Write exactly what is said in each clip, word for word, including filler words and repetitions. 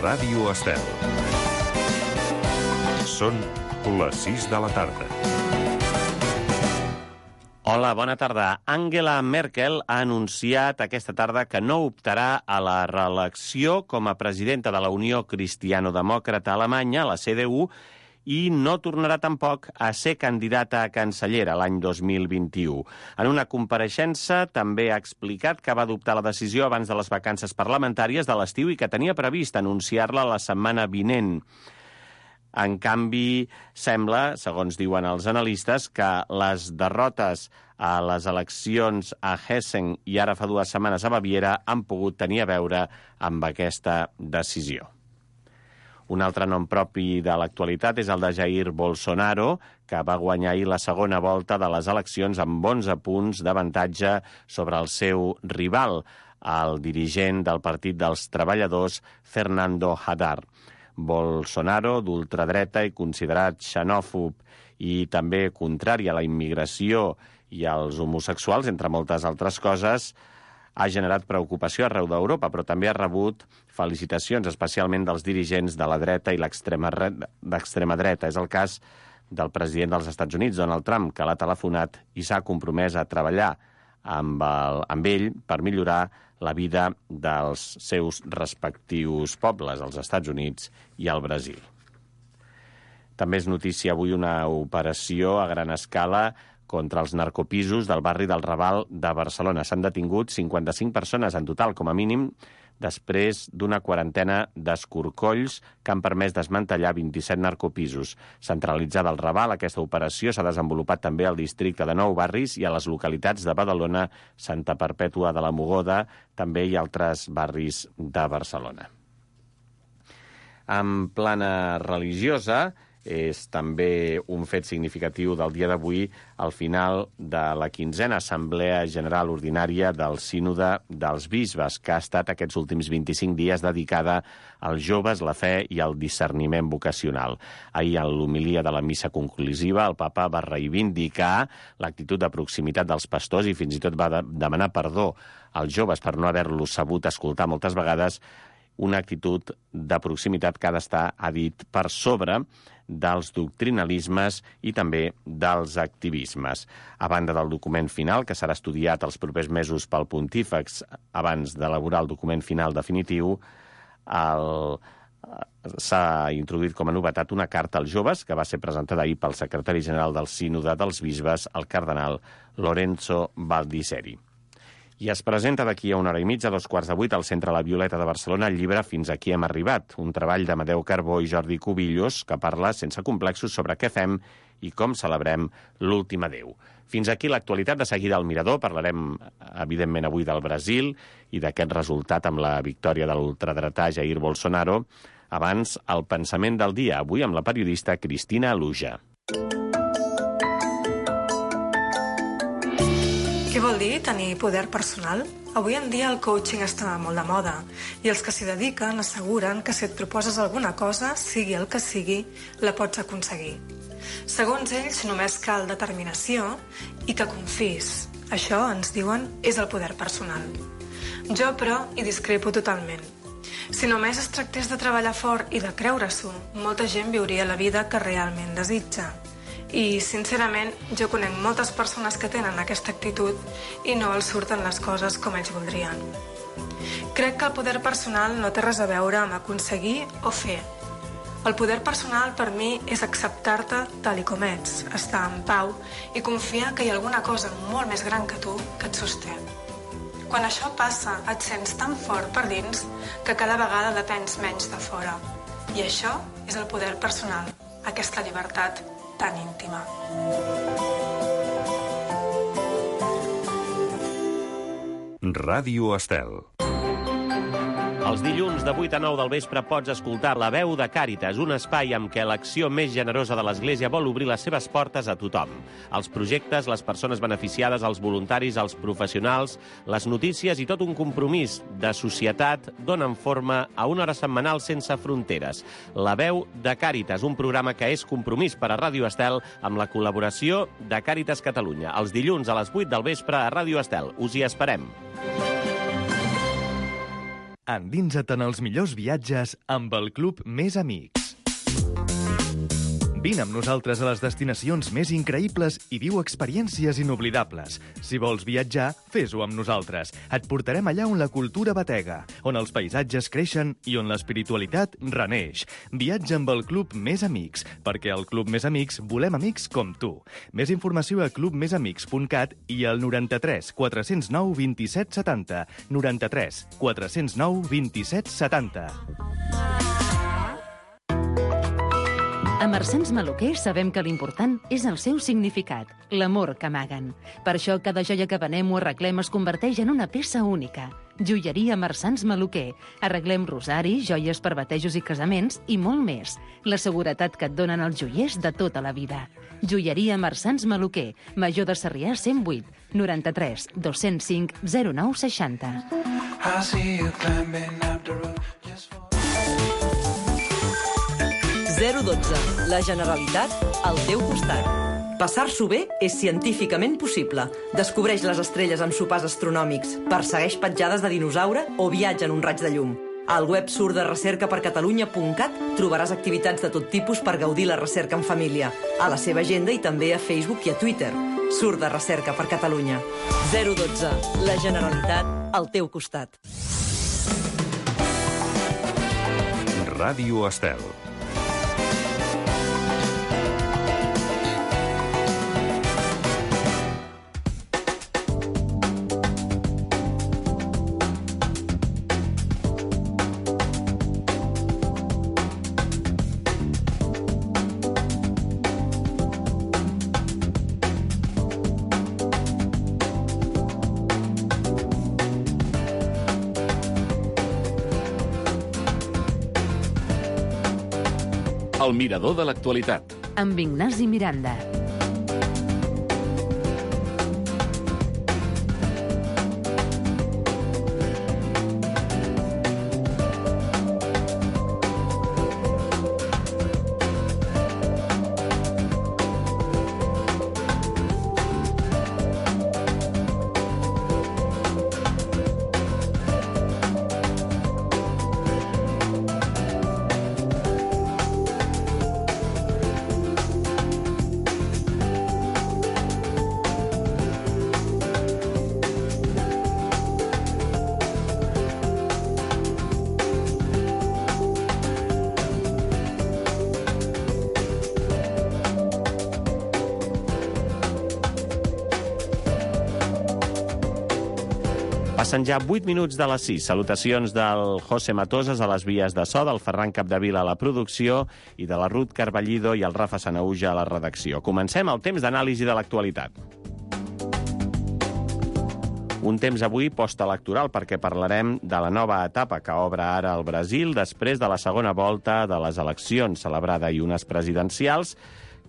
Ràdio Estel. Són les sis de la tarda. Hola, bona tarda. Angela Merkel ha anunciat aquesta tarda que no optarà a la reelecció com a presidenta de la Unió Cristiano-Demòcrata Alemanya, la C D U, i no tornarà tampoc a ser candidata a cancellera l'any dos mil vint-i-u. En una compareixença també ha explicat que va adoptar la decisió abans de les vacances parlamentàries de l'estiu i que tenia previst anunciar-la la setmana vinent. En canvi, sembla, segons diuen els analistes, que les derrotes a les eleccions a Hessen i ara fa dues setmanes a Baviera han pogut tenir a veure amb aquesta decisió. Un altre nom propi de l'actualitat és el de Jair Bolsonaro, que va guanyar ahir la segona volta de les eleccions amb onze punts d'avantatge sobre el seu rival, el dirigent del Partit dels Treballadors, Fernando Haddad. Bolsonaro, d'ultradreta i considerat xenòfob i també contrari a la immigració i als homosexuals, entre moltes altres coses, ha generat preocupació arreu d'Europa, però també ha rebut felicitacions, especialment dels dirigents de la dreta i l'extrema dreta. És el cas del president dels Estats Units, Donald Trump, que l'ha telefonat i s'ha compromès a treballar amb, el, amb ell per millorar la vida dels seus respectius pobles, els Estats Units i el Brasil. També és notícia avui una operació a gran escala contra els narcopisos del barri del Raval de Barcelona. S'han detingut cinquanta-cinc persones en total, com a mínim, després d'una quarantena d'escorcolls que han permès desmantellar vint-i-set narcopisos. Centralitzada al Raval, aquesta operació s'ha desenvolupat també al districte de Nou Barris i a les localitats de Badalona, Santa Perpètua de la Mogoda, també i altres barris de Barcelona. En plana religiosa, és també un fet significatiu del dia d'avui al final de la quinzena Assemblea General Ordinària del Sínode dels Bisbes, que ha estat aquests últims vint-i-cinc dies dedicada als joves, la fe i el discerniment vocacional. Ahir, en l'homilia de la missa conclusiva, el papa va reivindicar l'actitud de proximitat dels pastors i fins i tot va de demanar perdó als joves per no haver-los sabut escoltar moltes vegades, una actitud de proximitat que ha d'estar, ha dit, per sobre dels doctrinalismes i també dels activismes. A banda del document final, que serà estudiat els propers mesos pel pontífex abans d'elaborar el document final definitiu, el... s'ha introduït com a novetat una carta als joves que va ser presentada ahir pel secretari general del Sínode dels Bisbes, el cardenal Lorenzo Baldisseri. I es presenta d'aquí a una hora i mitja, a dos quarts de vuit, al Centre La Violeta de Barcelona, el llibre Fins aquí hem arribat, un treball d'Amadeu Carbó i Jordi Cubillos que parla sense complexos sobre què fem i com celebrem l'últim adéu. Fins aquí l'actualitat. De seguida al Mirador parlarem, evidentment, avui del Brasil i d'aquest resultat amb la victòria de l'ultradretà Jair Bolsonaro. Abans, el pensament del dia, avui amb la periodista Cristina Aluja. Què vol dir tenir poder personal? Avui en dia el coaching està molt de moda i els que s'hi dediquen asseguren que si et proposes alguna cosa, sigui el que sigui, la pots aconseguir. Segons ells, només cal determinació i que confis. Això, ens diuen, és el poder personal. Jo, però, hi discrepo totalment. Si només es tractés de treballar fort i de creure-s'ho, molta gent viuria la vida que realment desitja. I, sincerament, jo conec moltes persones que tenen aquesta actitud i no els surten les coses com ells voldrien. Crec que el poder personal no té res a veure amb aconseguir o fer. El poder personal per mi és acceptar-te tal i com ets, estar en pau i confiar que hi ha alguna cosa molt més gran que tu que et sosté. Quan això passa, et sents tan fort per dins que cada vegada depens menys de fora. I això és el poder personal, aquesta llibertat tan íntima. Ràdio Estel. Els dilluns de vuit a nou del vespre pots escoltar La Veu de Càritas, un espai amb què l'acció més generosa de l'Església vol obrir les seves portes a tothom. Els projectes, les persones beneficiades, els voluntaris, els professionals, les notícies i tot un compromís de societat donen forma a una hora setmanal sense fronteres. La Veu de Càritas, un programa que és compromís per a Ràdio Estel amb la col·laboració de Càritas Catalunya. Els dilluns a les vuit del vespre a Ràdio Estel. Us hi esperem. Endinsa't en els millors viatges amb el Club Més Amics. Vine amb nosaltres a les destinacions més increïbles i viu experiències inoblidables. Si vols viatjar, fes-ho amb nosaltres. Et portarem allà on la cultura batega, on els paisatges creixen i on l'espiritualitat reneix. Viatja amb el Club Més Amics, perquè al Club Més Amics volem amics com tu. Més informació a club més amics punt cat i al noranta-tres quatre zero nou vint-i-set setanta. noranta-tres quatre zero nou vint-i-set setanta. A Mercens Maluquer sabem que l'important és el seu significat, l'amor que amaguen. Per això cada joia que venem o arreglem es converteix en una peça única. Joieria Mercens Maluquer. Arreglem rosaris, joies per batejos i casaments i molt més. La seguretat que et donen els joiers de tota la vida. Joieria Mercens Maluquer. Major de Sarrià cent vuit, noranta-tres dos cents cinc zero nou seixanta. zero dotze. La Generalitat al teu costat. Passar-s'ho bé és científicament possible. Descobreix les estrelles amb sopars astronòmics, persegueix petjades de dinosaure o viatja en un raig de llum. Al web surt de recerca per catalunya punt cat trobaràs activitats de tot tipus per gaudir la recerca en família, a la seva agenda i també a Facebook i a Twitter. Surt de recerca per Catalunya. zero dotze. La Generalitat al teu costat. Ràdio Estel. El mirador de l'actualitat. Amb Ignasi Miranda. Passen ja vuit minuts de les sis. Salutacions del José Matoses a les vies de so, del Ferran Capdevila a la producció i de la Ruth Carballido i el Rafa Sanauja a la redacció. Comencem el temps d'anàlisi de l'actualitat. Un temps avui postelectoral perquè parlarem de la nova etapa que obre ara el Brasil després de la segona volta de les eleccions celebrada i unes presidencials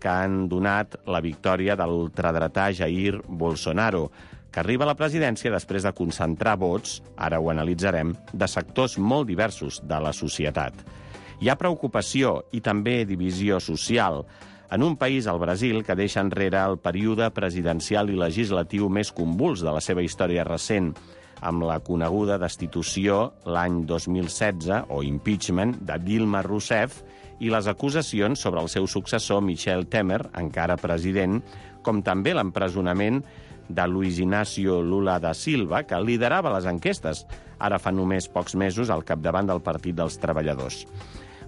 que han donat la victòria de l'ultradretà Jair Bolsonaro, que arriba a la presidència després de concentrar vots, ara ho analitzarem, de sectors molt diversos de la societat. Hi ha preocupació i també divisió social en un país, el Brasil, que deixa enrere el període presidencial i legislatiu més convuls de la seva història recent, amb la coneguda destitució l'any dos mil setze, o impeachment, de Dilma Rousseff, i les acusacions sobre el seu successor, Michel Temer, encara president, com també l'empresonament de Luis Inácio Lula da Silva, que liderava les enquestes, ara fa només pocs mesos al capdavant del Partit dels Treballadors.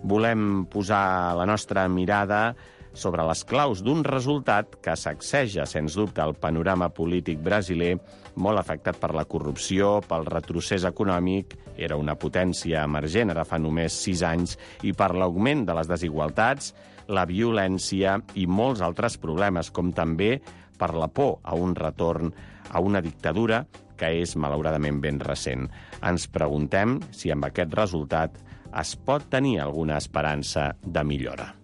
Volem posar la nostra mirada sobre les claus d'un resultat que sacseja, sens dubte, el panorama polític brasiler, molt afectat per la corrupció, pel retrocés econòmic, era una potència emergent ara fa només sis anys, i per l'augment de les desigualtats, la violència i molts altres problemes, com també per la por a un retorn a una dictadura que és, malauradament, ben recent. Ens preguntem si amb aquest resultat es pot tenir alguna esperança de millora.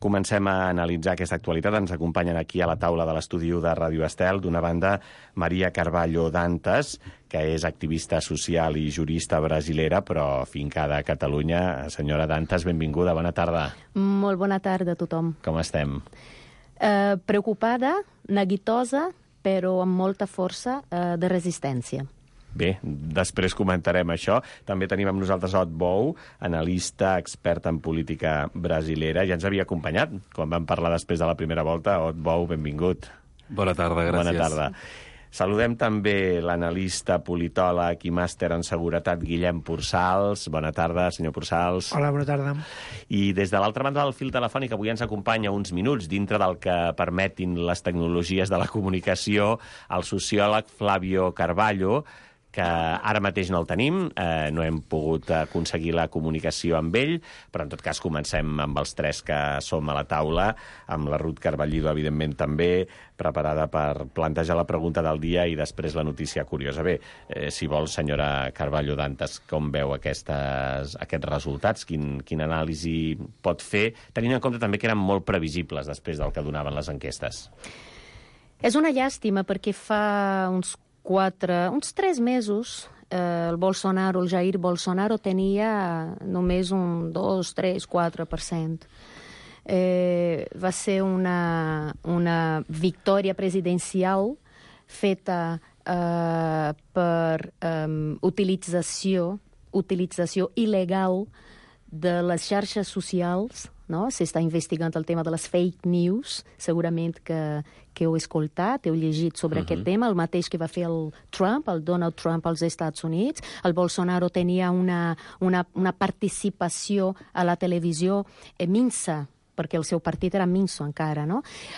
Comencem a analitzar aquesta actualitat. Ens acompanyen aquí a la taula de l'estudi de Ràdio Estel, d'una banda, Maria Carballo Dantas, que és activista social i jurista brasilera, però fincada a Catalunya. Senyora Dantas, benvinguda, bona tarda. Molt bona tarda a tothom. Com estem? Uh, preocupada, neguitosa però amb molta força eh, de resistència. Bé, després comentarem això. També tenim amb nosaltres Ot Bou, analista, expert en política brasilera. Ja ens havia acompanyat quan vam parlar després de la primera volta. Ot Bou, benvingut. Bona tarda, gràcies. Bona tarda. Saludem també l'analista, politòleg i màster en seguretat Guillem Pursals. Bona tarda, senyor Pursals. Hola, bona tarda. I des de l'altra banda del fil telefònic avui ens acompanya uns minuts dintre del que permetin les tecnologies de la comunicació el sociòleg Flavio Carvalho, que ara mateix no el tenim, eh, no hem pogut aconseguir la comunicació amb ell, però en tot cas comencem amb els tres que som a la taula, amb la Ruth Carballido, evidentment, també, preparada per plantejar la pregunta del dia i després la notícia curiosa. Bé, eh, si vol, senyora Carballo Dantas, com veu aquestes, aquests resultats? Quin, quin anàlisi pot fer, tenint en compte també que eren molt previsibles després del que donaven les enquestes? És una llàstima perquè fa uns quatre, uns tres mesos eh, el Bolsonaro, el Jair Bolsonaro tenia només un dos, tres, quatre per cent. Eh, va ser una, una victòria presidencial feta eh, per eh, utilització, utilització il·legal de les xarxes socials, no? S'està investigant el tema de les fake news, segurament que, que heu escoltat, heu llegit sobre uh-huh. aquest tema, el mateix que va fer el Trump, el Donald Trump als Estats Units. El Bolsonaro tenia una, una, una participació a la televisió eh, minsa, perquè el seu partit era minso encara, no?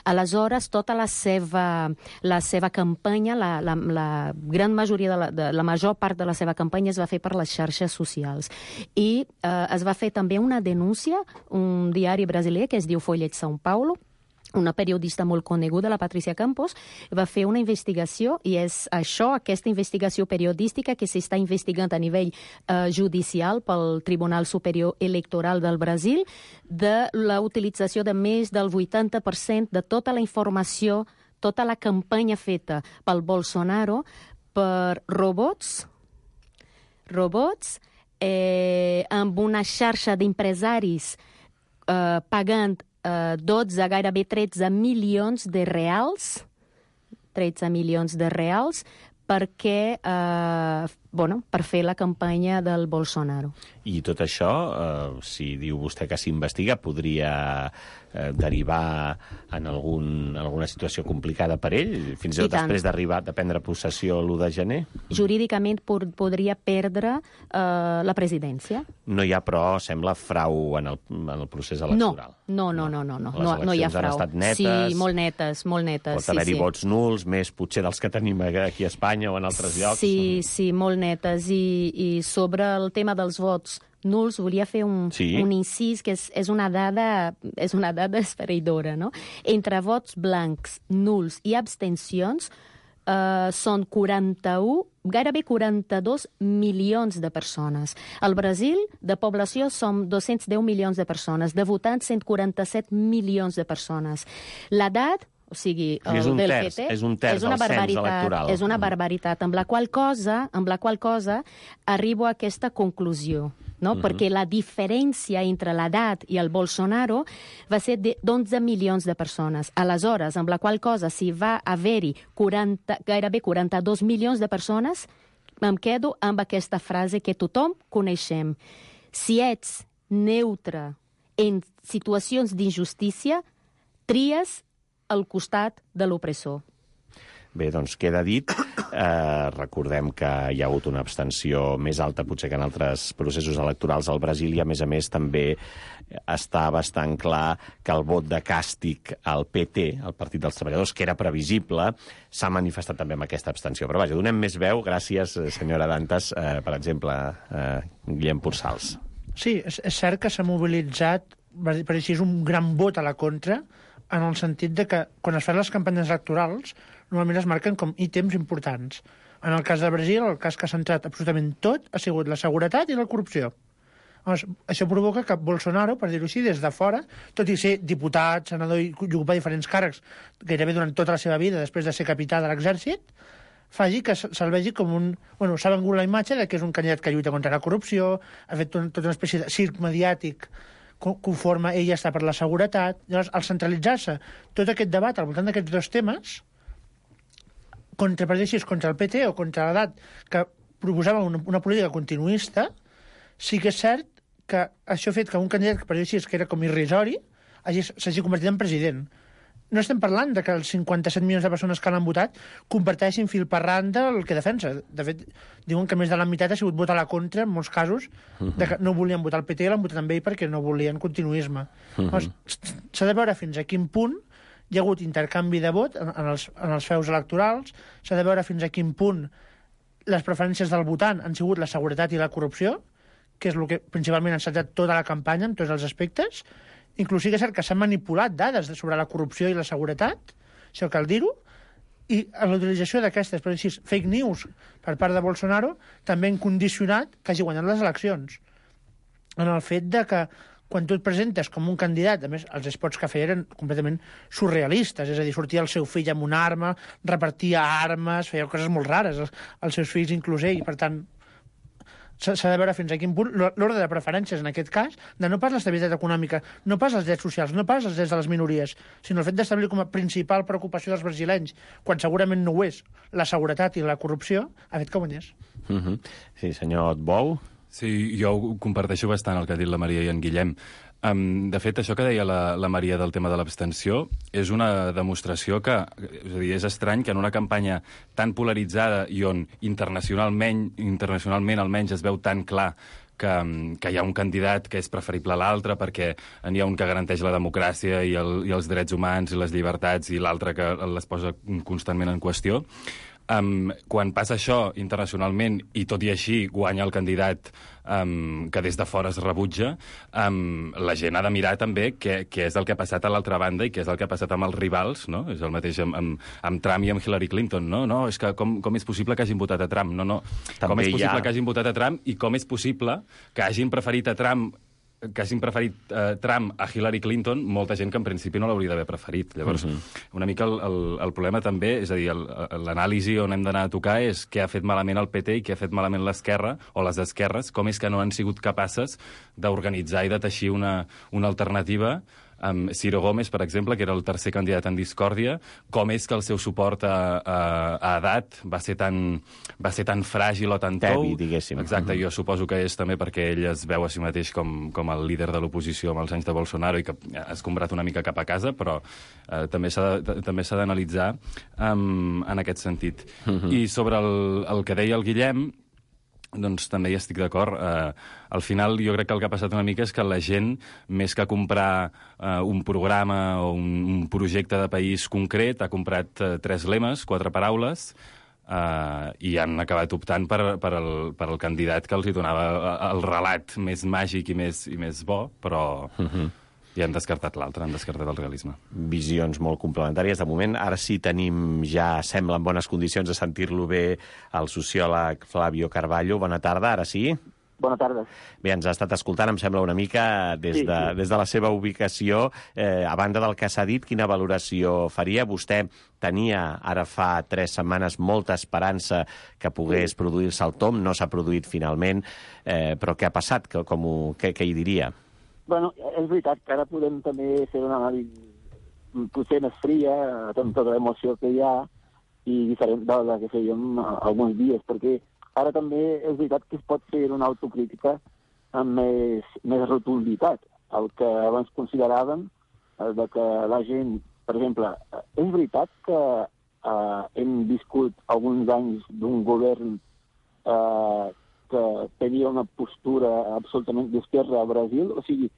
Aleshores, tota la seva, la seva campanya, la, la, la gran majoria, de la, de, la major part de la seva campanya es va fer per les xarxes socials. I eh, es va fer també una denúncia, un diari brasiler que es diu Folha de São Paulo, una periodista molt coneguda, la Patricia Campos, va fer una investigació, i és això, aquesta investigació periodística que s'està investigant a nivell eh, judicial pel Tribunal Superior Electoral del Brasil, de la utilització de més del vuitanta per cent de tota la informació, tota la campanya feta pel Bolsonaro per robots, robots eh, amb una xarxa d'empresaris eh, pagant dotze, gairebé tretze milions de reals, tretze milions de reals, perquè, eh, bueno, per fer la campanya del Bolsonaro. I tot això, eh, si diu vostè que s'investiga, podria eh, derivar en algun, alguna situació complicada per ell, fins i tot després d'arribar de prendre possessió l'u de gener? Jurídicament pod podria perdre eh, la presidència. No hi ha, però, sembla, frau en el, en el procés electoral. No, no, no, no, no, Les no, no hi ha frau. Han estat netes. Sí, molt netes, molt netes. Pot haver-hi sí, sí. vots nuls, més potser dels que tenim aquí a Espanya o en altres llocs. Sí, sí, molt netes. I, i sobre el tema dels vots nuls, volia fer un, sí. un incís que és, és una dada és una dada esfereïdora, no? Entre vots blancs, nuls i abstencions eh, són quaranta-u, gairebé quaranta-dos milions de persones. Al Brasil, de població, som dos-cents deu milions de persones. De votants, cent quaranta-set milions de persones. L'edat, o sigui, el és un del terç, P T, és un terç és una del cens electoral. És una barbaritat, amb la qual cosa, amb la qual cosa arribo a aquesta conclusió, no? Uh-huh. Perquè la diferència entre l'edat i el Bolsonaro va ser d'onze milions de persones. Aleshores, amb la qual cosa, si va haver-hi gairebé quaranta-dos milions de persones, em quedo amb aquesta frase que tothom coneixem. Si ets neutre en situacions d'injustícia, tries al costat de l'opressor. Bé, doncs queda dit. Eh, recordem que hi ha hagut una abstenció més alta potser que en altres processos electorals al Brasil i, a més a més, també està bastant clar que el vot de càstig al P T, el Partit dels Treballadors, que era previsible, s'ha manifestat també amb aquesta abstenció. Però vaja, donem més veu. Gràcies, senyora Dantas. Eh, per exemple, eh, Guillem Pursals. Sí, és, és cert que s'ha mobilitzat, per així és un gran vot a la contra, en el sentit de que quan es fan les campanyes electorals normalment es marquen com ítems importants. En el cas de Brasil, el cas que ha centrat absolutament tot ha sigut la seguretat i la corrupció. Llavors, això provoca que Bolsonaro, per dir-ho així, des de fora, tot i ser diputat, senador i ocupar diferents càrrecs gairebé durant tota la seva vida després de ser capità de l'exèrcit, faci que se'l vegi com un... Bueno, s'ha vengut la imatge de que és un candidat que lluita contra la corrupció, ha fet tota una espècie de circ mediàtic conforme ella està per la seguretat. Llavors, al centralitzar-se tot aquest debat al voltant d'aquests dos temes, contra, per dir així, contra el P T o contra l'edat, que proposava una, una política continuista, sí que és cert que això ha fet que un candidat, per dir així, que era com irrisori, s'hagi convertit en president. No estem parlant de que els cinquanta-set milions de persones que l'han votat comparteixin fil per randa el que defensa. De fet, diuen que més de la meitat ha sigut votar a la contra, en molts casos, de que no volien votar el P T, l'han votat amb ell perquè no volien continuisme. Uh -huh. S'ha de veure fins a quin punt hi ha hagut intercanvi de vot en, en, els, en els feus electorals, s'ha de veure fins a quin punt les preferències del votant han sigut la seguretat i la corrupció, que és el que principalment ha encetat tota la campanya en tots els aspectes. Inclús és cert que s'han manipulat dades sobre la corrupció i la seguretat, això cal dir-ho, i la utilització d'aquestes, per dir fake news per part de Bolsonaro també han condicionat que hagi guanyat les eleccions. En el fet de que quan tu et presentes com un candidat, a més, els spots que feia eren completament surrealistes, és a dir, sortia el seu fill amb una arma, repartia armes, feia coses molt rares, els, els seus fills inclús ell, i per tant s'ha de veure fins a quin punt l'ordre de preferències, en aquest cas, de no pas l'estabilitat econòmica, no pas els drets socials, no pas els drets de les minories, sinó el fet d'establir com a principal preocupació dels brasilenys, quan segurament no ho és, la seguretat i la corrupció, ha fet que guanyés. Uh -huh. Sí, senyor Bou? Sí, jo comparteixo bastant el que ha dit la Maria i en Guillem. Um, de fet, això que deia la, la Maria del tema de l'abstenció és una demostració que, és a dir, és estrany que en una campanya tan polaritzada i on internacionalment, internacionalment almenys es veu tan clar que, que hi ha un candidat que és preferible a l'altre perquè n'hi ha un que garanteix la democràcia i, el, i els drets humans i les llibertats i l'altre que les posa constantment en qüestió. Um, quan passa això internacionalment i tot i així guanya el candidat um, que des de fora es rebutja, um, la gent ha de mirar també què, què és el que ha passat a l'altra banda i què és el que ha passat amb els rivals, no? És el mateix amb, amb, amb Trump i amb Hillary Clinton, no? No, és que com, com és possible que hagin votat a Trump? No, no. També com és possible ha... que hagin votat a Trump i com és possible que hagin preferit a Trump que hagin preferit eh, Trump a Hillary Clinton, molta gent que en principi no l'hauria d'haver preferit. Llavors, uh -huh. una mica el, el, el problema també, és a dir, l'anàlisi on hem d'anar a tocar és què ha fet malament el P T i què ha fet malament l'esquerra, o les esquerres, com és que no han sigut capaces d'organitzar i de teixir una, una alternativa amb Ciro Gómez, per exemple, que era el tercer candidat en discòrdia, com és que el seu suport a, a, a edat va ser tan, va ser tan fràgil o tan tou. Tebi, diguéssim. Exacte, uh-huh. Jo suposo que és també perquè ell es veu a si mateix com, com el líder de l'oposició amb els anys de Bolsonaro i que ha escombrat una mica cap a casa, però eh, també s'ha de, també s'ha d'analitzar um, en aquest sentit. Uh-huh. I sobre el, el que deia el Guillem, doncs també hi estic d'acord. Uh, al final jo crec que el que ha passat una mica és que la gent, més que comprar uh, un programa o un, un projecte de país concret, ha comprat uh, tres lemes, quatre paraules, uh, i han acabat optant per, per, el, per el candidat que els hi donava el relat més màgic i més, i més bo, però... Uh-huh. I han descartat l'altre, han descartat el realisme. Visions molt complementàries. De moment, ara sí tenim, ja sembla en bones condicions de sentir-lo bé, el sociòleg Flavio Carvalho. Bona tarda, ara sí? Bona tarda. Bé, ens ha estat escoltant, em sembla una mica, des de, sí, sí. des de la seva ubicació. Eh, a banda del que s'ha dit, quina valoració faria? Vostè tenia, ara fa tres setmanes, molta esperança que pogués sí. produir-se el tomb. No s'ha produït finalment, eh, però què ha passat? Com ho, què, què hi diria? Bueno, és veritat que ara podem també fer una anàlisi potser més fria, amb tota l'emoció que hi ha, i diferent de la que fèiem alguns dies, perquè ara també és veritat que es pot fer una autocrítica amb més, més rotunditat. El que abans consideràvem, de que la gent, per exemple, és veritat que eh, hem viscut alguns anys d'un govern eh, que tenia una postura absolutament d'esquerra a Brasil, o sigui,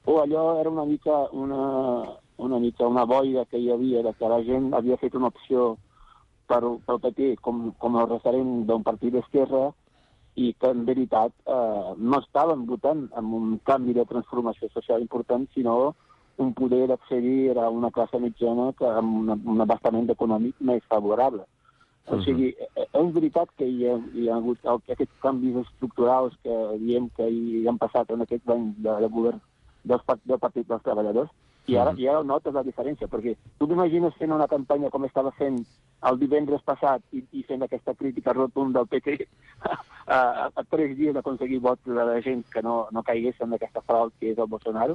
o allò era una mica una, una mica una boira que hi havia, de que la gent havia fet una opció per, pel P T com, com el referent d'un partit d'esquerra i que en veritat eh, no estaven votant amb un canvi de transformació social important, sinó un poder d'accedir a una classe mitjana que amb una, un abastament econòmic més favorable. O sigui, és veritat que hi ha, hi ha hagut aquests canvis estructurals que diem que hi han passat en aquests anys de, de govern dels, del Partit dels Treballadors, i ara, i ara notes la diferència, perquè tu t'imagines fent una campanya com estava fent el divendres passat i, i fent aquesta crítica rotunda del P T a, a, a tres dies d'aconseguir vots de la gent que no, no caigués en aquesta frau que és el Bolsonaro.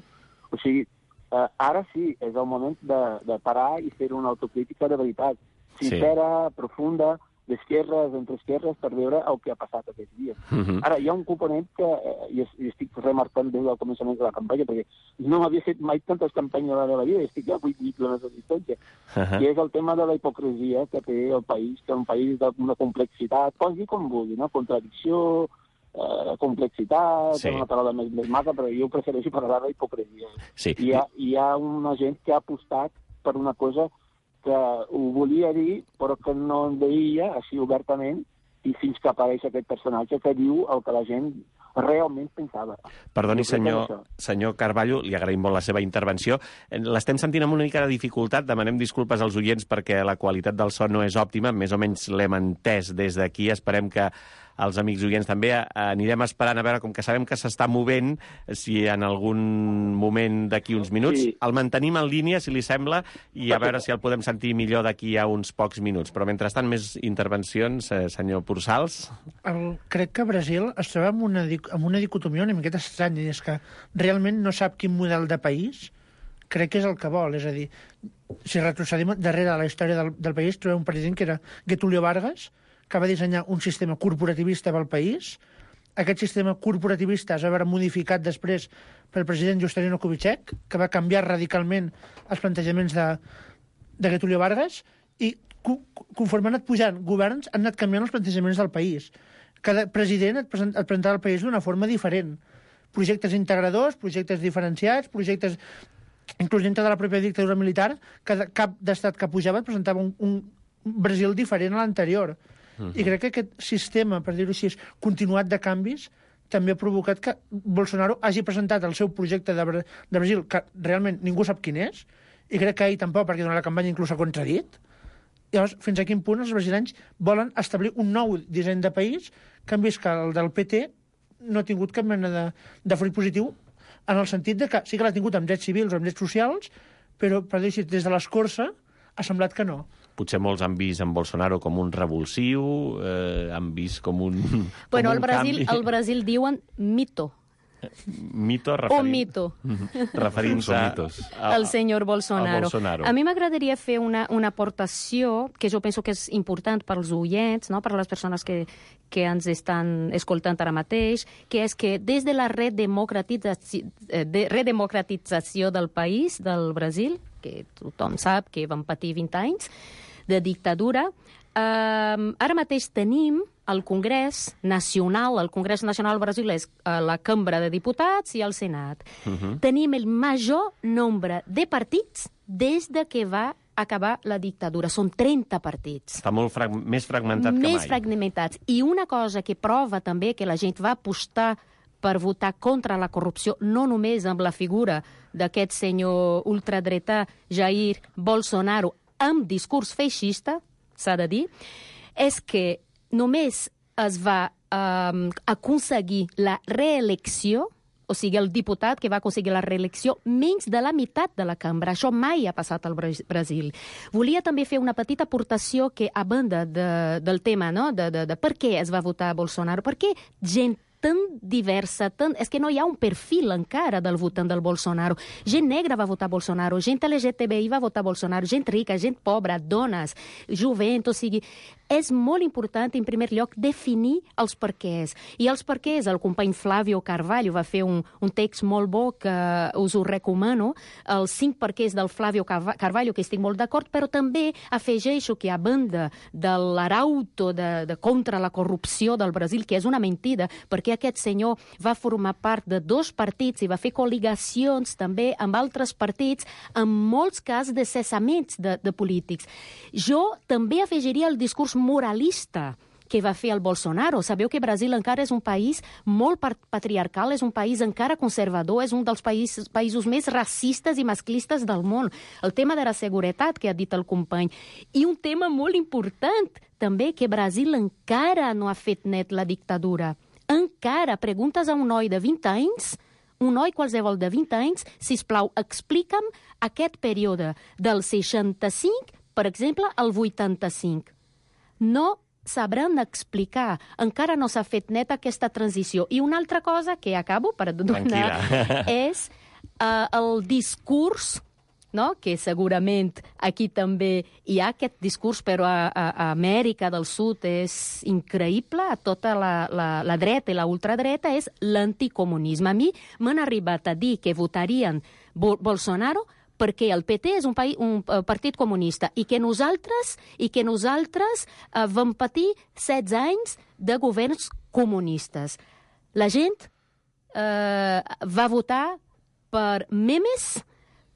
O sigui, eh, ara sí, és el moment de, de parar i fer una autocrítica de veritat. sincera, sí. profunda, d'esquerres, entre esquerres, per veure el que ha passat aquests dies. Uh-huh. Ara, hi ha un component que eh, i estic remarcant des del començament de la campanya, perquè no m'havia fet mai tantes campanyes a la meva vida, estic a vuit mil quilòmetres de distància, uh-huh. i és el tema de la hipocresia que té el país, que és un país d'una complexitat, pots dir com vulgui, no? Contradicció, eh, complexitat, sí. una paraula més, més maca, però jo prefereixo parlar d'hipocresia. Sí. Hi ha, hi ha una gent que ha apostat per una cosa que ho volia dir, però que no en deia així obertament, i fins que apareix aquest personatge que diu el que la gent realment pensava. Perdoni, senyor, senyor Carballo, li agraïm molt la seva intervenció. L'estem sentint amb una mica de dificultat, demanem disculpes als oients perquè la qualitat del so no és òptima, més o menys l'hem entès des d'aquí, esperem que els amics oients també anirem esperant a veure, com que sabem que s'està movent, si en algun moment d'aquí uns minuts, sí. el mantenim en línia, si li sembla, i a veure si el podem sentir millor d'aquí a uns pocs minuts. Però mentrestant, més intervencions, eh, senyor Pursals? El, crec que Brasil es troba amb una, amb una dicotomia una miqueta estranya, i és que realment no sap quin model de país crec que és el que vol. És a dir, si retrocedim darrere de la història del, del país, trobem un president que era Getúlio Vargas, que va dissenyar un sistema corporativista pel país. Aquest sistema corporativista es va veure modificat després pel president Juscelino Kubitschek, que va canviar radicalment els plantejaments de, de Getúlio Vargas, i conforme han anat pujant governs, han anat canviant els plantejaments del país. Cada president et, present, et presentava el país d'una forma diferent. Projectes integradors, projectes diferenciats, projectes inclús dintre de la pròpia dictadura militar, cada cap d'estat que pujava et presentava un, un Brasil diferent a l'anterior. Uh-huh. I crec que aquest sistema, per dir-ho així, continuat de canvis, també ha provocat que Bolsonaro hagi presentat el seu projecte de, Bra de Brasil, que realment ningú sap quin és, i crec que ell tampoc, perquè durant la campanya inclús s'ha contradit. Llavors, fins a quin punt els brasilenys volen establir un nou disseny de país que han vist que el del P T no ha tingut cap mena de, de fruit positiu, en el sentit de que sí que l'ha tingut amb drets civils o amb drets socials, però, per dir-ho així, des de l'escorça ha semblat que no. Potser molts han vist en Bolsonaro com un revulsiu, eh, han vist com un Bueno, com al un Brasil, canvi. al Brasil diuen mito. Mito referint... Un mito. Referint-se al senyor Bolsonaro. Bolsonaro. A mi m'agradaria fer una, una aportació que jo penso que és important pels oients, no? Per les persones que, que ens estan escoltant ara mateix, que és que des de la redemocratització, de redemocratització del país, del Brasil, que tothom sap que van patir vint anys de dictadura, eh, ara mateix tenim el Congrés Nacional, el Congrés Nacional del Brasil és uh, la Cambra de Diputats i el Senat. Uh-huh. Tenim el major nombre de partits des de que va acabar la dictadura. Són trenta partits. Està molt frag més fragmentat que mai. Més fragmentats. I una cosa que prova també que la gent va apostar per votar contra la corrupció, no només amb la figura d'aquest senyor ultradretà Jair Bolsonaro amb discurs feixista, s'ha de dir, és que només es va um, aconseguir la reelecció, o sigui, el diputat que va aconseguir la reelecció, menys de la meitat de la cambra. Això mai ha passat al Brasil. Volia també fer una petita aportació que, a banda de, del tema, no? de, de, de per què es va votar Bolsonaro, per què gent tan diversa, tan... és que no hi ha un perfil encara del votant del Bolsonaro. Gent negra va votar Bolsonaro, gent L G T B I va votar Bolsonaro, gent rica, gent pobra, dones, jovent, o sigui... És molt important, en primer lloc, definir els perquès. I els perquès, el company Flavio Carvalho va fer un, un text molt bo que us ho recomano, els cinc perquès del Flavio Carvalho, que estic molt d'acord, però també afegeixo que a banda de l'arauto de, de contra la corrupció del Brasil, que és una mentida, perquè aquest senyor va formar part de dos partits i va fer col·ligacions també amb altres partits, en molts casos de cessaments de, de polítics. Jo també afegiria el discurs moralista que va fer el Bolsonaro. Sabeu que Brasil encara és un país molt patriarcal, és un país encara conservador, és un dels països, països més racistes i masclistes del món. El tema de la seguretat, que ha dit el company. I un tema molt important, també, que Brasil encara no ha fet net la dictadura. Encara. Preguntes a un noi de vint anys, un noi qualsevol de vint anys, sisplau, explica'm aquest període del seixanta-cinc, per exemple, al vuitanta-cinc. No sabran explicar. Encara no s'ha fet net aquesta transició. I una altra cosa que acabo per donar és uh, el discurs no? Que segurament aquí també hi ha aquest discurs, però a, a, a Amèrica del Sud és increïble, a tota la, la, la dreta i la ultradreta és l'anticomunisme. A mi m'han arribat a dir que votarien Bo- Bolsonaro perquè el P T és un, país, un partit comunista i que nosaltres, i que nosaltres eh, vam patir setze anys de governs comunistes. La gent eh, va votar per memes,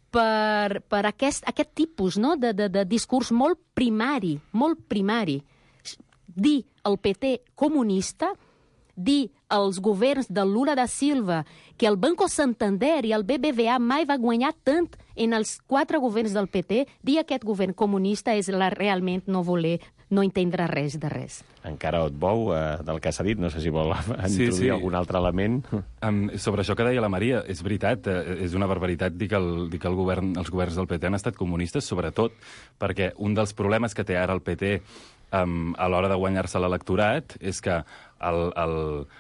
per, per aquest, aquest tipus, no? de, de, de discurs molt primari, molt primari. Dir el P T comunista, dir als governs de Lula da Silva que el Banco Santander i el B B V A mai va guanyar tant en els quatre governs del P T, dir aquest govern comunista és la, realment no voler, no entendre res de res. Encara et bou eh, del que s'ha dit, no sé si vol introduir sí, sí. algun altre element. Um, sobre això que deia la Maria, és veritat, eh, és una barbaritat dir que, el, dir que el govern, els governs del P T han estat comunistes, sobretot perquè un dels problemes que té ara el P T um, a l'hora de guanyar-se l'electorat és que el, el,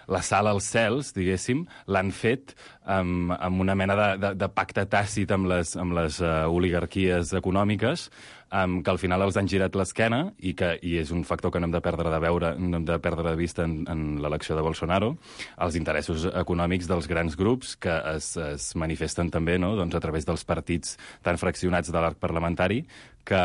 la sala als cels, diguéssim, l'han fet um, amb una mena de, de, de pacte tàcit amb les, amb les uh, oligarquies econòmiques, um, que al final els han girat l'esquena i que i és un factor que no hem de perdre de veure, no hem de perdre de vista en, en l'elecció de Bolsonaro, els interessos econòmics dels grans grups que es, es manifesten també, no?, doncs a través dels partits tan fraccionats de l'arc parlamentari, que,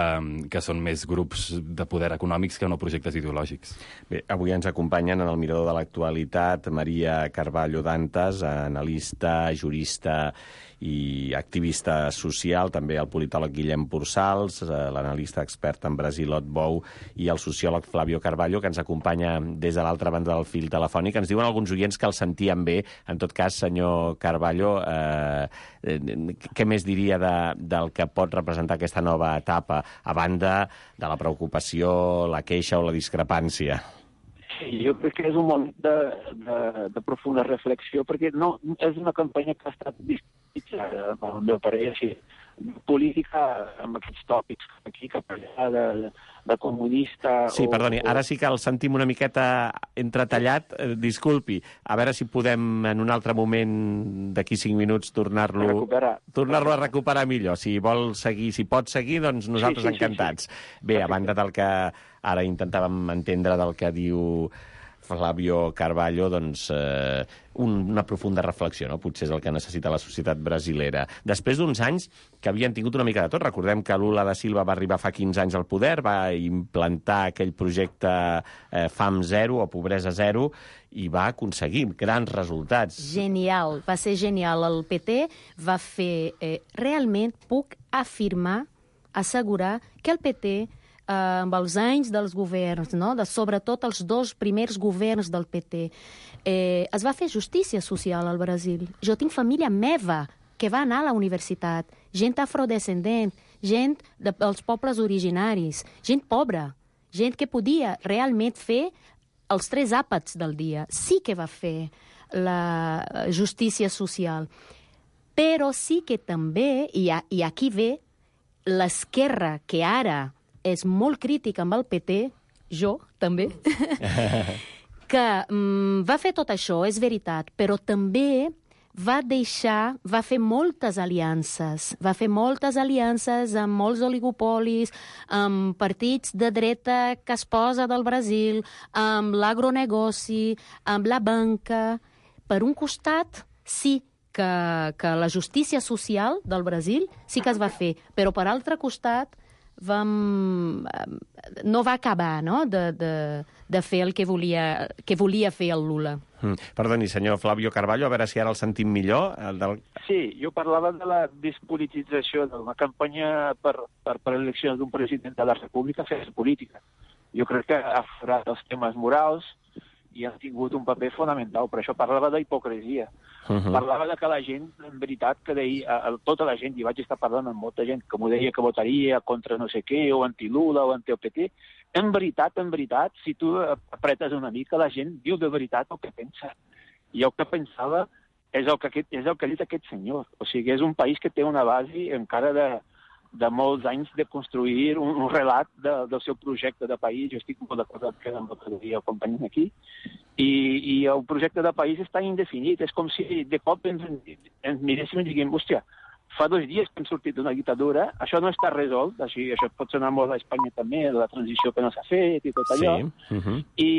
que són més grups de poder econòmics que no projectes ideològics. Bé, avui ens acompanyen en el Mirador de l'Actualitat Maria Carballo Dantas, analista, jurista i activista social, també el politòleg Guillem Pursals, l'analista expert en Brasil Ot Bou i el sociòleg Flavio Carballo, que ens acompanya des de l'altra banda del fil telefònic. Ens diuen alguns oients que el sentien bé. En tot cas, senyor Carballo, eh, què més diria de, del que pot representar aquesta nova etapa, a banda de la preocupació, la queixa o la discrepància? Sí, jo crec que és un moment de, de, de profunda reflexió, perquè no, és una campanya que ha estat discutitzada, al meu parer, així, política amb aquests tòpics, aquí, cap allà, de, de comunista... Sí, o, perdoni, ara sí que el sentim una miqueta entretallat, eh, disculpi, a veure si podem en un altre moment, d'aquí cinc minuts, tornar-lo recuperar. tornar-lo a recuperar millor. Si vol seguir, si pot seguir, doncs nosaltres sí, sí, encantats. Sí, sí. Bé, a banda del que ara intentàvem entendre del que diu Flavio Carballo, doncs eh, un, una profunda reflexió, no? Potser és el que necessita la societat brasilera. Després d'uns anys que havien tingut una mica de tot, recordem que Lula da Silva va arribar fa quinze anys al poder, va implantar aquell projecte eh, Fam Zero o Pobresa Zero i va aconseguir grans resultats. Genial, va ser genial. El P T va fer... Eh, realment puc afirmar, assegurar que el P T eh, amb els anys dels governs, no? de, sobretot els dos primers governs del P T, eh, es va fer justícia social al Brasil. Jo tinc família meva que va anar a la universitat, gent afrodescendent, gent de, dels pobles originaris, gent pobra, gent que podia realment fer els tres àpats del dia. Sí que va fer la justícia social. Però sí que també, i, a, i aquí ve l'esquerra, que ara és molt crítica amb el P T, jo també, que mm, va fer tot això, és veritat, però també va deixar, va fer moltes aliances, va fer moltes aliances amb molts oligopolis, amb partits de dreta que es posa del Brasil, amb l'agronegoci, amb la banca. Per un costat, sí que, que la justícia social del Brasil sí que es va fer, però per altre costat vam, no va acabar, no?, de, de, de fer el que volia, que volia fer el Lula. Mm. Perdoni, senyor Flavio Carballo, a veure si ara el sentim millor. El del... Sí, jo parlava de la despolitització d'una campanya per, per, per l'elecció d'un president de la República fer política. Jo crec que ha aflorat els temes morals i han tingut un paper fonamental. Per això parlava d'hipocresia. Uh-huh. Parlava de que la gent, en veritat, que deia, tota la gent, i vaig estar parlant amb molta gent, que m'ho deia que votaria contra no sé què, o anti-Lula, o anti-O P T. En veritat, en veritat, si tu apretes una mica, la gent diu de veritat el que pensa. I el que pensava és el que, és el que ha dit aquest senyor. O sigui, és un país que té una base encara de, de molts anys de construir un, un relat de, del seu projecte de país. Jo estic molt d'acord amb el que deia el company aquí. I, I el projecte de país està indefinit. És com si de cop ens, ens miréssim i diguem, hòstia, fa dos dies que hem sortit d'una dictadura, això no està resolt, així, això pot sonar molt a Espanya també, la transició que no s'ha fet i tot allò, sí. uh-huh. i,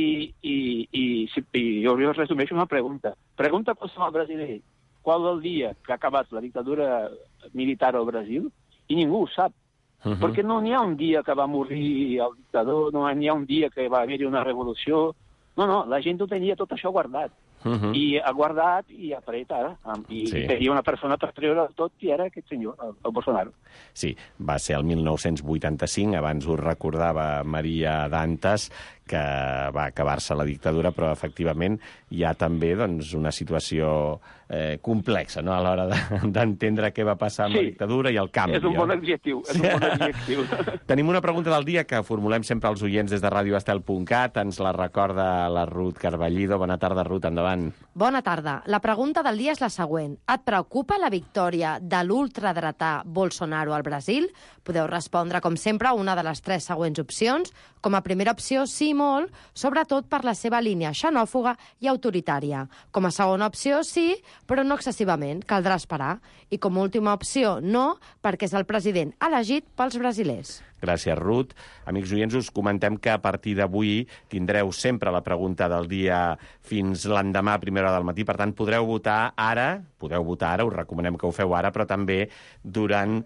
i, i, i, i jo us resumeixo una pregunta. Pregunta qualsevol brasiler, qual el dia que ha acabat la dictadura militar al Brasil, i ningú ho sap. Uh-huh. Perquè no n'hi ha un dia que va morir el dictador, no n'hi ha un dia que va haver-hi una revolució. No, no, la gent ho tenia tot això guardat. Uh-huh. I ha guardat i ha tret ara. I sí. tenia una persona per treure tot i era aquest senyor, el, el Bolsonaro. Sí, va ser el mil nou-cents vuitanta-cinc, abans ho recordava Maria Dantas, que va acabar-se la dictadura, però efectivament hi ha també doncs, una situació eh, complexa, no?, a l'hora d'entendre de, què va passar amb sí. la dictadura i el canvi. És un bon adjectiu. És un bon adjectiu. Tenim una pregunta del dia que formulem sempre als oients des de radio estel punt cat. Ens la recorda la Ruth Carballido. Bona tarda, Ruth, endavant. Bona tarda. La pregunta del dia és la següent. Et preocupa la victòria de l'ultradretà Bolsonaro al Brasil? Podeu respondre, com sempre, una de les tres següents opcions. Com a primera opció, sí, molt, sobretot per la seva línia xenòfoga i autoritària. Com a segona opció, sí, però no excessivament, caldrà esperar. I com a última opció, no, perquè és el president elegit pels brasilers. Gràcies, Ruth. Amics oients, us comentem que a partir d'avui tindreu sempre la pregunta del dia fins l'endemà a primera hora del matí. Per tant, podreu votar ara, podeu votar ara, us recomanem que ho feu ara, però també durant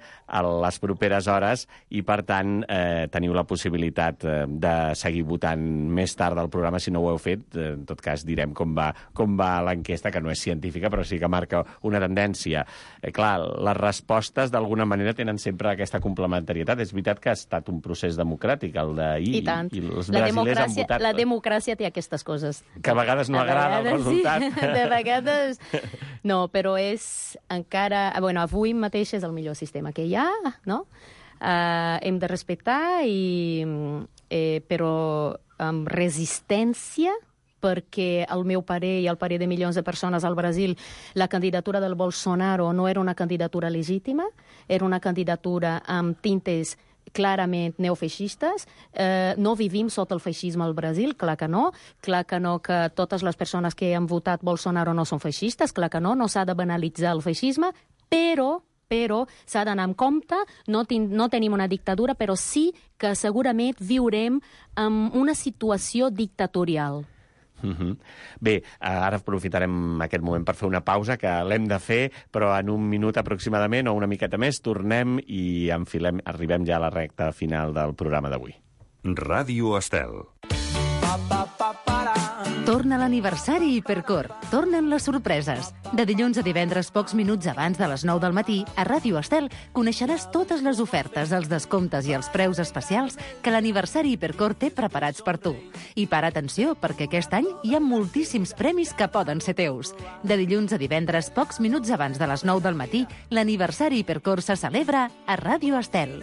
les properes hores i, per tant, eh, teniu la possibilitat eh, de seguir votant més tard al programa si no ho heu fet. En tot cas, direm com va, com va l'enquesta, que no és científica, però sí que marca una tendència. Eh, clar, les respostes d'alguna manera tenen sempre aquesta complementarietat. És veritat que ha estat un procés democràtic, el d'ahir, i, tant. i els la brasilers han votat. La democràcia té aquestes coses. Que a vegades no a agrada vegades, el resultat. Sí, de vegades... No, però és encara... Bueno, avui mateix és el millor sistema que hi ha, no? Uh, hem de respectar, i, eh, però amb resistència, perquè al meu parer i al parer de milions de persones al Brasil la candidatura del Bolsonaro no era una candidatura legítima, era una candidatura amb tintes clarament neofeixistes. Eh, no vivim sota el feixisme al Brasil, clar que no. Clar que no, que totes les persones que han votat Bolsonaro no són feixistes, clar que no, no s'ha de banalitzar el feixisme, però però s'ha d'anar amb compte, no, tin no tenim una dictadura, però sí que segurament viurem en una situació dictatorial. Uh-huh. Bé, ara aprofitarem aquest moment per fer una pausa, que l'hem de fer, però en un minut aproximadament o una miqueta més tornem i enfilem, arribem ja a la recta final del programa d'avui. Ràdio Estel. Torna l'aniversari Hipercor. Tornen les sorpreses. De dilluns a divendres, pocs minuts abans de les nou del matí, a Ràdio Estel coneixeràs totes les ofertes, els descomptes i els preus especials que l'aniversari Hipercor té preparats per tu. I para atenció, perquè aquest any hi ha moltíssims premis que poden ser teus. De dilluns a divendres, pocs minuts abans de les nou del matí, l'aniversari Hipercor se celebra a Ràdio Estel.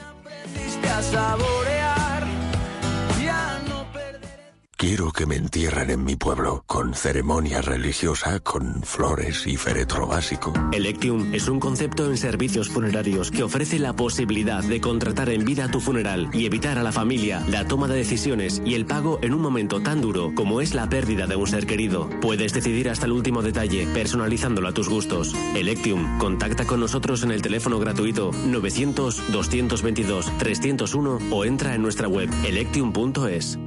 Quiero que me entierren en mi pueblo, con ceremonia religiosa, con flores y féretro básico. Electium es un concepto en servicios funerarios que ofrece la posibilidad de contratar en vida tu funeral y evitar a la familia la toma de decisiones y el pago en un momento tan duro como es la pérdida de un ser querido. Puedes decidir hasta el último detalle, personalizándolo a tus gustos. Electium, contacta con nosotros en el teléfono gratuito novecientos, doscientos veintidós, trescientos uno o entra en nuestra web electium punto es.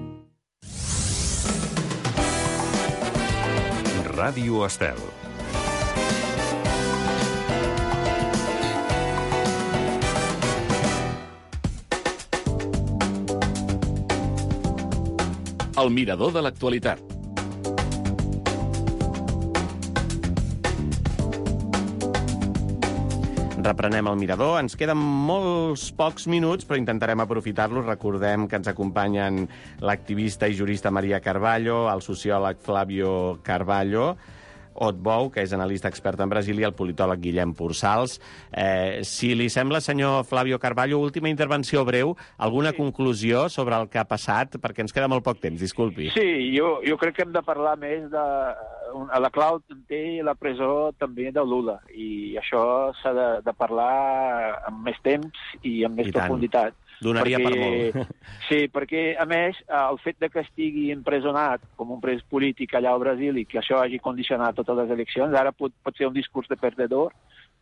Ràdio Estel. El mirador de l'actualitat. Reprenem el mirador. Ens queden molts pocs minuts, però intentarem aprofitar-los. Recordem que ens acompanyen l'activista i jurista Maria Carballo, el sociòleg Flavio Carballo, Otbou, que és analista expert en Brasil, i el politòleg Guillem Pursals. Eh, si li sembla, senyor Flavio Carballo, última intervenció breu, alguna sí. conclusió sobre el que ha passat? Perquè ens queda molt poc temps, disculpi. Sí, jo, jo crec que hem de parlar més de... A la clau té la presó també de Lula, i això s'ha de, de parlar amb més temps i amb més I profunditat. Donaria perquè, per molt. Sí, perquè, a més, el fet de que estigui empresonat com un pres polític allà al Brasil i que això hagi condicionat totes les eleccions, ara pot, pot ser un discurs de perdedor,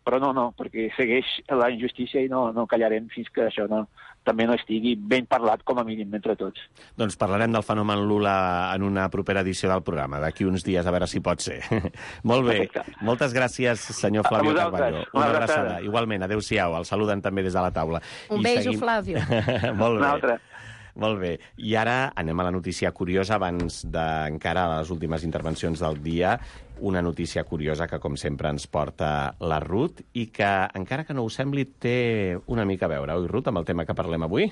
però no, no, perquè segueix la injustícia i no, no callarem fins que això no, també no estigui ben parlat, com a mínim, entre tots. Doncs parlarem del fenomen Lula en una propera edició del programa, d'aquí uns dies, a veure si pot ser. Molt bé. Perfecte. Moltes gràcies, senyor Flavio Carballo. Una abraçada. Igualment, adéu-siau. El saluden també des de la taula. Un beijo, seguim... Flavio. Molt bé. Una altra. Molt bé. I ara anem a la notícia curiosa, abans d'encara a les últimes intervencions del dia, una notícia curiosa que, com sempre, ens porta la Ruth i que, encara que no us sembli, té una mica a veure, oi, Ruth, amb el tema que parlem avui?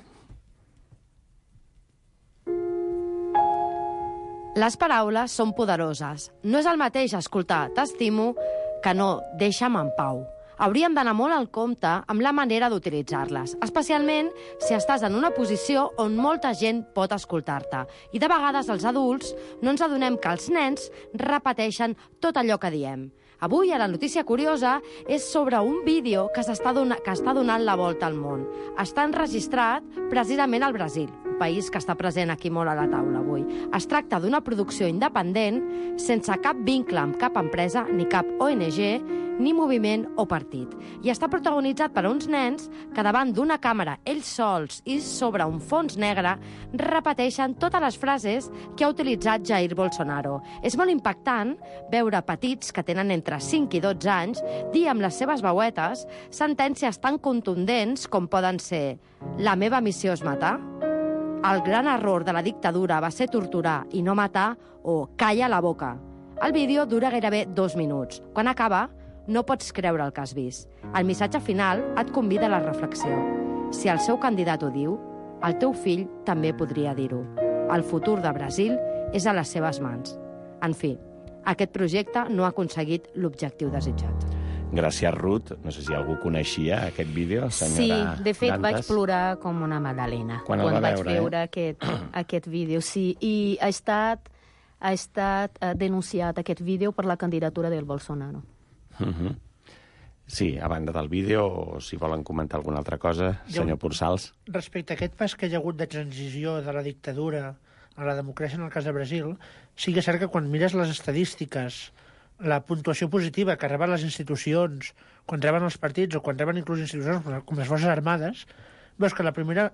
Les paraules són poderoses. No és el mateix escoltar «t'estimo» que no «deixa'm en pau». Hauríem d'anar molt al compte amb la manera d'utilitzar-les, especialment si estàs en una posició on molta gent pot escoltar-te. I de vegades els adults no ens adonem que els nens repeteixen tot allò que diem. Avui, a la notícia curiosa, és sobre un vídeo que s'està donant, que està donant la volta al món. Està enregistrat precisament al Brasil, un país que està present aquí molt a la taula avui. Es tracta d'una producció independent, sense cap vincle amb cap empresa, ni cap O N G, ni moviment o partit. I està protagonitzat per uns nens que davant d'una càmera, ells sols i sobre un fons negre, repeteixen totes les frases que ha utilitzat Jair Bolsonaro. És molt impactant veure petits que tenen entre cinc i dotze anys dir amb les seves veuetes sentències tan contundents com poden ser «La meva missió és matar», «El gran error de la dictadura va ser torturar i no matar» o «Calla la boca». El vídeo dura gairebé dos minuts. Quan acaba, no pots creure el que has vist. El missatge final et convida a la reflexió. Si el seu candidat ho diu, el teu fill també podria dir-ho. El futur de Brasil és a les seves mans. En fi, aquest projecte no ha aconseguit l'objectiu desitjat. Gràcies, Ruth. No sé si algú coneixia aquest vídeo, senyora Sí, de fet Dantas. vaig plorar com una magdalena quan, quan va vaig veure, veure eh? aquest, aquest vídeo. Sí, i ha estat, ha estat uh, denunciat aquest vídeo per la candidatura del Bolsonaro. Uh-huh. Sí, a banda del vídeo, o si volen comentar alguna altra cosa, senyor Pursals. Respecte a aquest pas que hi ha hagut de transició de la dictadura a la democràcia en el cas de Brasil, sí que és cert que quan mires les estadístiques, la puntuació positiva que reben les institucions, quan reben els partits o quan reben inclús institucions com les Forces Armades, veus que la primera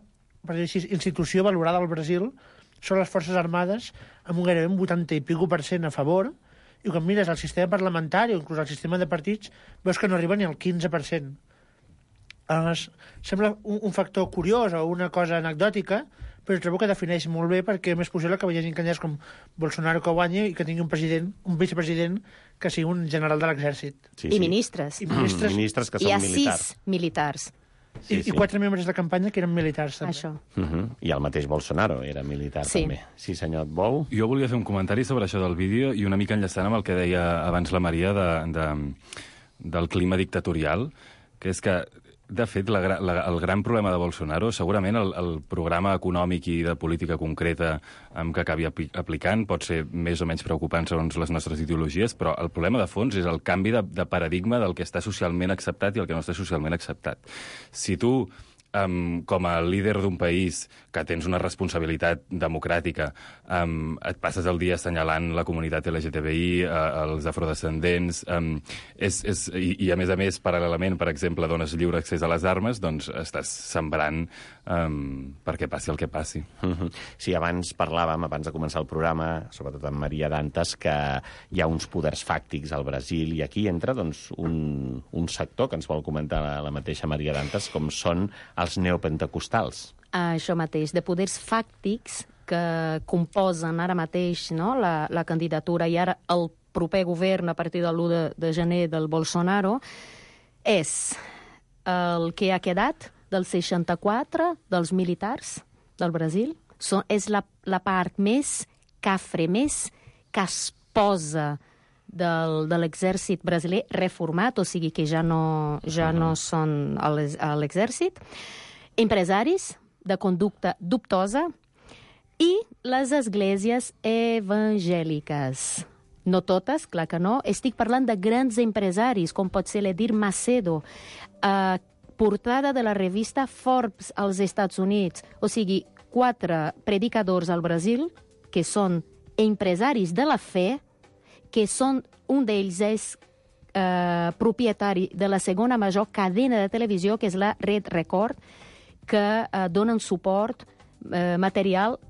per dir així, institució valorada al Brasil són les Forces Armades amb un gairebé un vuitanta i pico per cent a favor, i quan mires el sistema parlamentari o inclús el sistema de partits, veus que no arriba ni al quinze per cent. Es, sembla un, un factor curiós o una cosa anecdòtica, però trobo que defineix molt bé perquè és més possible que hi hagi candidats com Bolsonaro que guanyi i que tingui un president, un vicepresident que sigui un general de l'exèrcit. Sí, sí. I ministres. I ministres, mm, ministres que són militars. militars. Hi ha sis militars. Sí, I, sí. I quatre membres de campanya que eren militars, també. Això. Uh-huh. I el mateix Bolsonaro era militar, sí. també. Sí, senyor Bou? Jo volia fer un comentari sobre això del vídeo i una mica enllaçant amb el que deia abans la Maria de, de, del clima dictatorial, que és que, de fet, la, la, el gran problema de Bolsonaro, segurament el, el programa econòmic i de política concreta um, que acabi aplicant pot ser més o menys preocupant segons les nostres ideologies, però el problema de fons és el canvi de, de paradigma del que està socialment acceptat i el que no està socialment acceptat. Si tu, um, com a líder d'un país que tens una responsabilitat democràtica, um, et passes el dia assenyalant la comunitat L G T B I, uh, els afrodescendents, um, és, és, i, i a més a més, paral·lelament, per exemple, dones lliure accés a les armes, doncs estàs sembrant um, perquè passi el que passi. Uh-huh. Sí, abans parlàvem, abans de començar el programa, sobretot amb Maria Dantas, que hi ha uns poders fàctics al Brasil, i aquí entra doncs, un, un sector que ens vol comentar la, la mateixa Maria Dantas, com són els neopentecostals. Això mateix, de poders fàctics que composen ara mateix, no, la, la candidatura i ara el proper govern a partir de l'u de, de gener del Bolsonaro, és el que ha quedat del seixanta-quatre dels militars del Brasil. So, és la, la part més cafre, més que es posa del, de l'exèrcit brasiler reformat, o sigui que ja no, ja no són a l'exèrcit, empresaris de conducta dubtosa i les esglésies evangèliques. No totes, clar que no. Estic parlant de grans empresaris, com pot ser l'Edir Macedo, eh, portada de la revista Forbes als Estats Units. O sigui, quatre predicadors al Brasil que són empresaris de la fe, que són, un d'ells és eh, propietari de la segona major cadena de televisió, que és la Red Record, que eh, donen suport eh, material